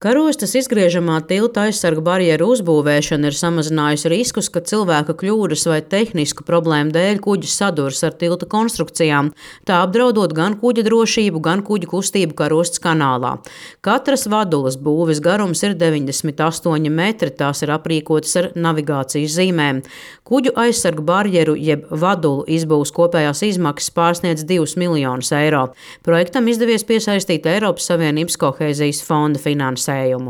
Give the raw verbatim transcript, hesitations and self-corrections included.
Karostes izgriežamā tilta aizsargu barjeru uzbūvēšana ir samazinājusi riskus, ka cilvēka kļūdas vai tehnisku problēmu dēļ kuģis sadurs ar tilta konstrukcijām, tā apdraudot gan kuģa drošību, gan kuģa kustību Karostes kanālā. Katras vadulas būves garums ir deviņdesmit astoņi metri, tās ir aprīkotas ar navigācijas zīmēm. Kuģu aizsargu barjeru jeb vadulu izbūves kopējās izmaksas pārsniedz divus miljonus eiro. Projektam izdevies piesaistīt Eiropas Savienības kohēzijas fonda finansējumu.